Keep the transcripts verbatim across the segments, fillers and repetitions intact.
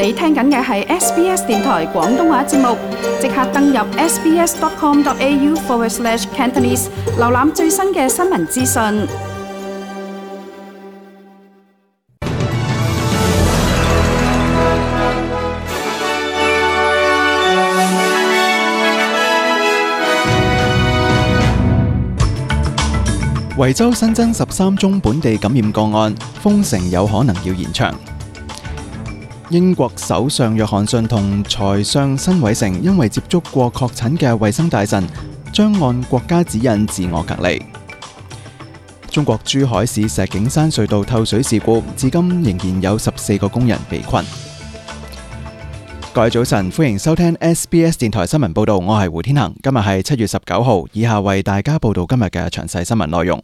你聽緊嘅係 S B S 電台廣東話節目，即刻登入 sbs.com.au forward slash Cantonese， 瀏覽最新嘅新聞資訊。維州新增十三宗本地感染個案，封城有可能要延長。英國首相約翰遜同財相辛偉誠因為接觸過確診嘅衛生大臣，將按國家指引自我隔離。中國珠海市石景山隧道透水事故，至今仍然有十四個工人被困。各位早晨，歡迎收聽 S B S 電台新聞報道，我係胡天恒。今日係七月十九號，以下為大家報道今日嘅詳細新聞內容。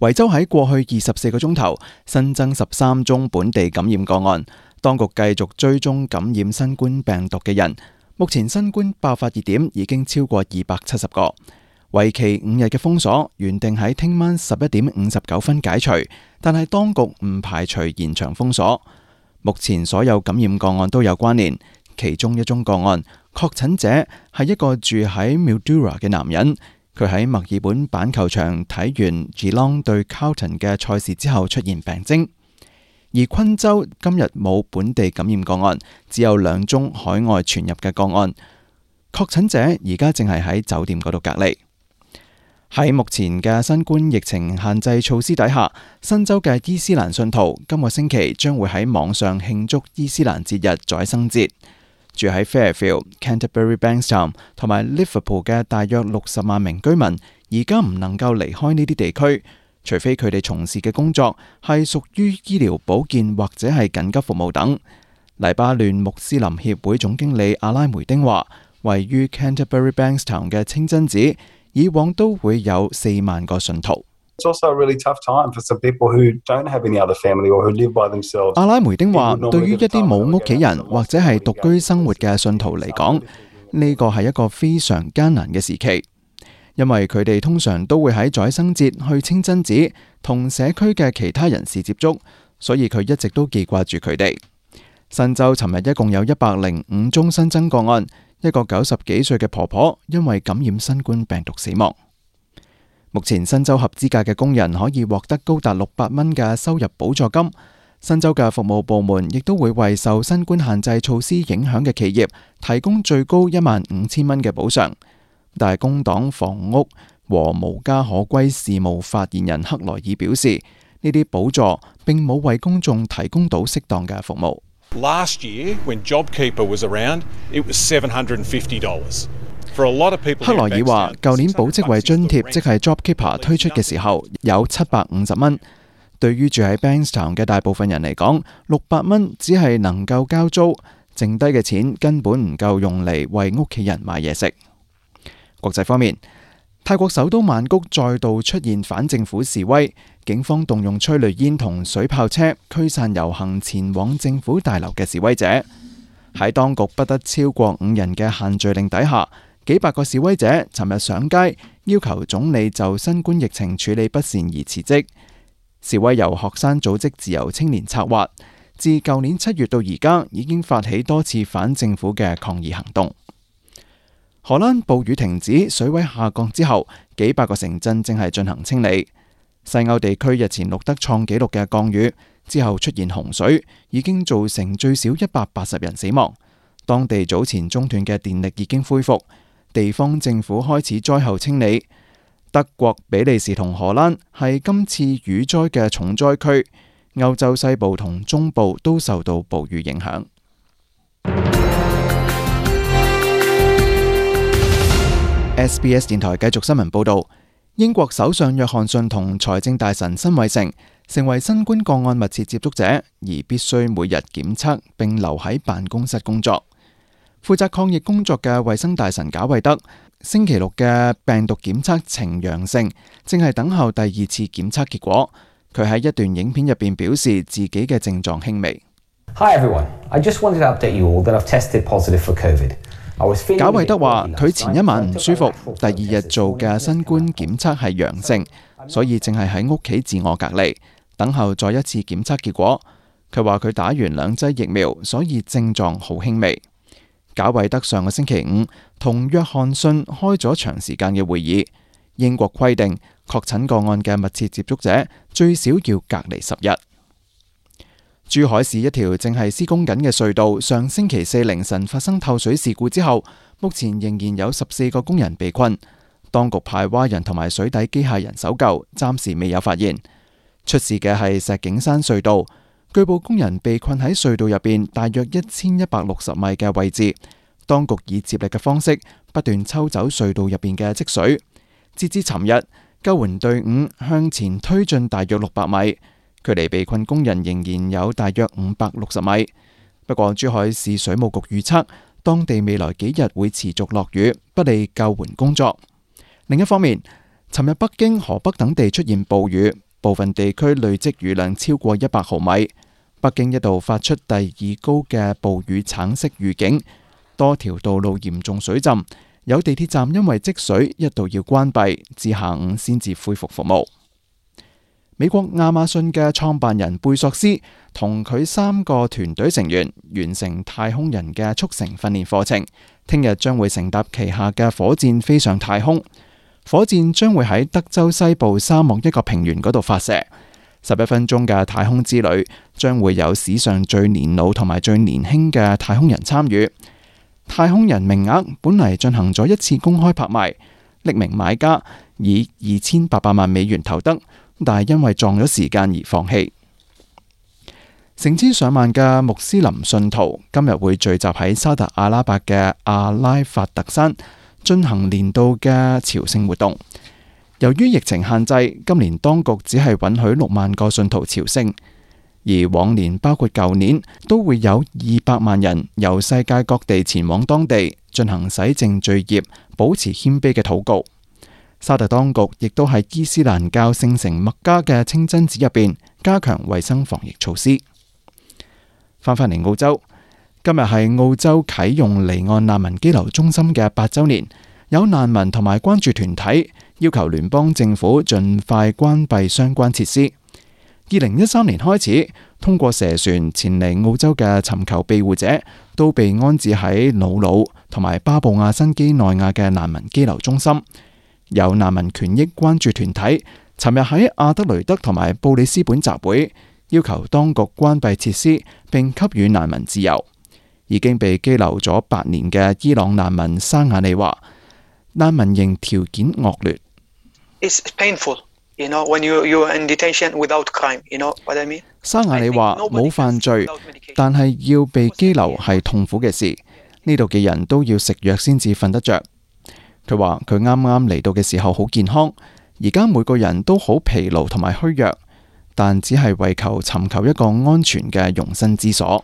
維州喺過去二十四個鐘頭新增十三宗本地感染個案，當局繼續追蹤感染新冠病毒嘅人。目前新冠爆發熱點已經超過二百七十個，為期五日嘅封鎖原定喺聽晚十一點五十九分解除，但係當局唔排除延長封鎖。目前所有感染個案都有關聯，其中一宗個案確診者係一個住喺 Mildura 嘅男人。佢喺墨爾本板球場睇完 Geelong 對 Carlton 嘅賽事之後出現病徵，而昆州今日冇本地感染個案，只有兩宗海外傳入嘅個案。確診者而家正係喺酒店嗰度隔離。喺目前嘅新冠疫情限制措施底下，新州嘅伊斯蘭信徒今個星期將會喺網上慶祝伊斯蘭節日宰生節。住喺 Fairfield、Canterbury、Bankstown 同埋 Liverpool 嘅大約六十萬名居民，而家唔能夠離開呢啲地區，除非佢哋從事嘅工作係屬於醫療保健或者係緊急服務等。黎巴嫩穆斯林協會總經理阿拉梅丁話，位於 Canterbury、Bankstown 嘅清真寺以往都會有四萬個信徒。阿拉梅丁話，對於一啲冇屋企人或者係獨居生活嘅信徒嚟講，呢個係一個非常艱難嘅時期，因為佢哋通常都會喺宰生節去清真寺同社區嘅其他人士接觸，所以佢一直都記掛住佢哋。新州尋日一共有一百零五宗新增個案，一個九十幾歲嘅婆婆因為感染新冠病毒死亡。目前新州合資格嘅工人可以獲得高達六百蚊嘅收入補助金。新州嘅服務部門亦都會為受新冠限制措施影響嘅企業提供最高一萬五千蚊嘅補償。但係工黨房屋和無家可歸事務發言人克萊爾表示，呢啲補助並冇為公眾提供到適當嘅服務。Last year, when JobKeeper was around, it was seven hundred fifty dollars. 克萊爾話，舊年保職位津貼即係 JobKeeper 推出嘅時候有七百五十蚊，對於住喺 Bankstown 嘅大部分人嚟講，六百蚊只係能夠交租，剩低嘅錢根本唔夠用嚟為屋企人買嘢食。國際方面，泰國首都曼谷再度出現反政府示威，警方動用催淚煙同水炮車驅散遊行前往政府大樓嘅示威者。喺當局不得超過五人嘅限聚令底下，幾百個示威者尋日上街要求總理就新冠疫情處理不善而辭職。示威由學生組織自由青年策劃，自舊年七月到而家已經發起多次反政府嘅抗議行動。荷蘭暴雨停止，水位下降之後，幾百個城鎮正係進行清理。西歐地區日前錄得創紀錄嘅降雨之後出現洪水，已經造成最少一百八十人死亡。當地早前中斷嘅電力已經恢復。地方政府開始災後清理。德國、比利時同荷蘭係今次雨災嘅重災區，歐洲西部同中部都受到暴雨影響。S B S 電台繼續新聞報道，英國首相約翰遜同財政大臣辛偉誠成為新冠個案密切接觸者，而必須每日檢測並留喺辦公室工作。負責抗疫工作嘅衛生大臣賈維德星期六嘅病毒檢測呈陽性，正係等候第二次檢測結果。佢喺一段影片入邊表示自己嘅症狀輕微。Hi everyone, I just wanted to update you all that I've tested positive for COVID. 賈維德話佢前一晚唔舒服，第二日做嘅新冠檢測係陽性，所以正係喺屋企自我隔離，等候再一次檢測結果。佢話佢打完兩劑疫苗，所以症狀好輕微。賈偉德上個星期五同約翰遜開咗長時間嘅會議。英國規定確診個案嘅密切接觸者最少要隔離十日。珠海市一條正係施工緊嘅隧道，上星期四凌晨發生透水事故之後，目前仍然有十四個工人被困。當局派蛙人同埋水底機械人搜救，暫時未有發現。出事嘅係石景山隧道，據報工人被困喺隧道入邊大約一千一百六十米嘅位置，當局以接力嘅方式不斷抽走隧道入邊嘅積水。截至尋日，救援隊伍向前推進大約六百米，距離被困工人仍然有大約五百六十米。不過珠海市水務局預測，當地未來幾日會持續落雨，不利救援工作。另一方面，尋日北京、河北等地出現暴雨，部分地區累積雨量超過一百毫米。北京一度發出第二高嘅暴雨橙色預警，多條道路嚴重水浸。有地鐵站因為積水一度要關閉，至下午先至恢復服務。美國亞馬遜嘅創辦人貝索斯同佢三個團隊成員完成太空人嘅速成訓練課程，聽日將會乘搭旗下嘅火箭飛上太空。火箭將會喺德州西部沙漠一個平原嗰度發射。十一分鐘嘅太空之旅將會有史上最年老同埋最年輕嘅太空人參與。太空人名額本嚟進行咗一次公開拍賣，匿名買家以二千八百萬美元投得，但係因為撞咗時間而放棄。成千上萬嘅穆斯林信徒今日會聚集喺沙特阿拉伯嘅阿拉法特山進行年度嘅朝聖活動。由於疫情限制，今年當局只係允許六萬個信徒朝聖。而往年包括舊年都會有二百萬人由世界各地前往當地進行洗淨罪孽、保持謙卑嘅禱告。沙特當局亦都喺伊斯蘭教聖城麥加嘅清真寺入邊加強衛生防疫措施。翻返嚟澳洲，今日係澳洲啟用離岸難民羈留中心嘅八週年，有難民同埋關注團體要求聯邦政府盡快關閉相關設施。二零一三年開始，通過蛇船前嚟澳洲嘅尋求庇護者都被安置喺瑙魯同埋巴布亞新畿內亞嘅難民羈留中心。有難民權益關注團體尋日喺阿德雷德同埋布里斯本集會，要求當局關閉設施並給予難民自由。已經被羈留咗八年嘅伊朗難民沙雅利話，難民營條件惡劣。It's painful. You know, when you you're in detention without crime, you know what I mean? 沙雅利話冇犯罪，但係要被羈留係痛苦嘅事。呢度嘅人都要食藥先至瞓得着。佢話佢啱啱嚟到嘅時候好健康，而家每個人都好疲勞同埋虛弱，但只係為求尋求一個安全嘅容身之所。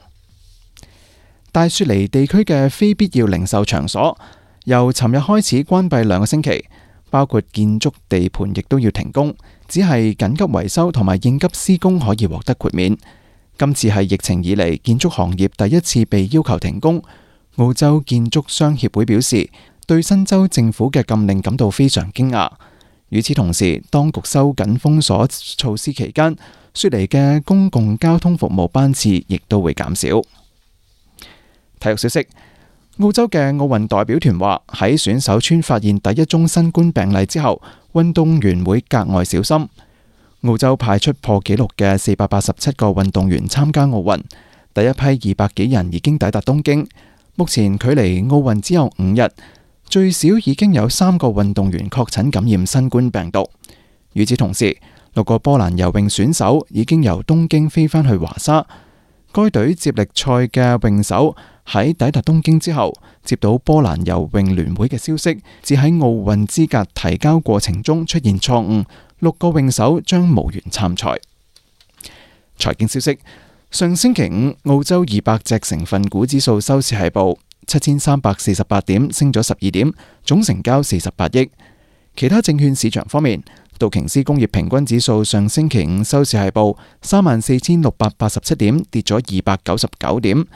大雪梨地區嘅非必要零售場所由尋日開始關閉兩個星期。包括建築地盤亦都要停工，只係緊急維修同埋應急施工可以獲得豁免。今次係疫情以嚟建築行業第一次被要求停工。澳洲建築商協會表示，對新州政府嘅禁令感到非常驚訝。與此同時，當局收緊封鎖措施期間，雪梨嘅公共交通服務班次亦都會減少。體育消息。澳洲嘅奧運代表團話，喺選手村發現第一宗新冠病例之後，運動員會格外小心。澳洲派出破紀錄嘅四百八十七個運動員參加奧運，第一批二百幾人已經抵達東京。目前距離奧運只有五日，最少已經有三個運動員確診感染新冠病毒。與此同時，六個波蘭游泳選手已經由東京飛返去華沙。該隊接力賽嘅泳手喺抵達東京之後，接到波蘭游泳聯會嘅消息，只喺奧運資格提交過程中出現錯誤，六個泳手將無緣參賽。財經消息：上星期五，澳洲二百隻成分股指數收市係報七千三百四十八點，升咗十二點，總成交四十八億。其他證券市場方面，道瓊斯工業平均指數上星期五收市係報三萬四千六百八十七點，跌咗二百九十九點。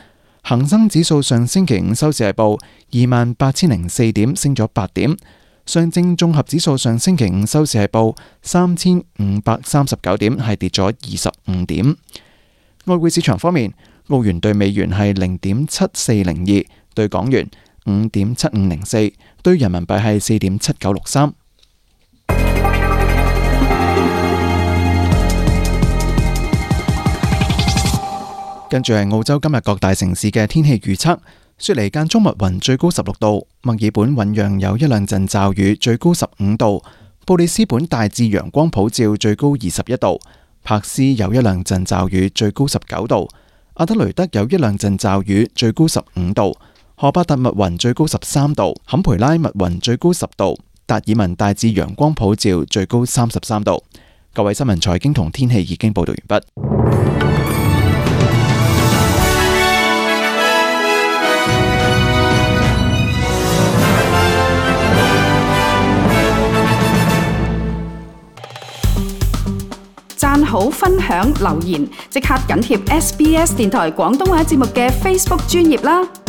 恒生指數上星期五收市係報二萬八千零四點，升咗八點。上證綜合指數上星期五收市係報三千五百三十九點，係跌咗二十五點。外匯市場方面，澳元對美元係零點七四零二，對港元五點七五零四，對人民幣係四點七九六三。跟住係澳洲今日各大城市嘅天氣預測。雪梨間中密雲，最高十六度；墨爾本醞釀有一兩陣驟雨，最高十五度；布里斯本大致陽光普照，最高二十一度；柏斯有一兩陣驟雨，最高十九度；阿德雷德有一兩陣驟雨，最高十五度；荷伯特密雲，最高十三度；坎培拉密雲，最高十度；達爾文大致陽光普照，最高三十三度。各位新聞財經同天氣已經報道完畢。讚好、分享、留言，即刻緊貼 S B S 電台廣東話節目嘅 Facebook 專頁啦！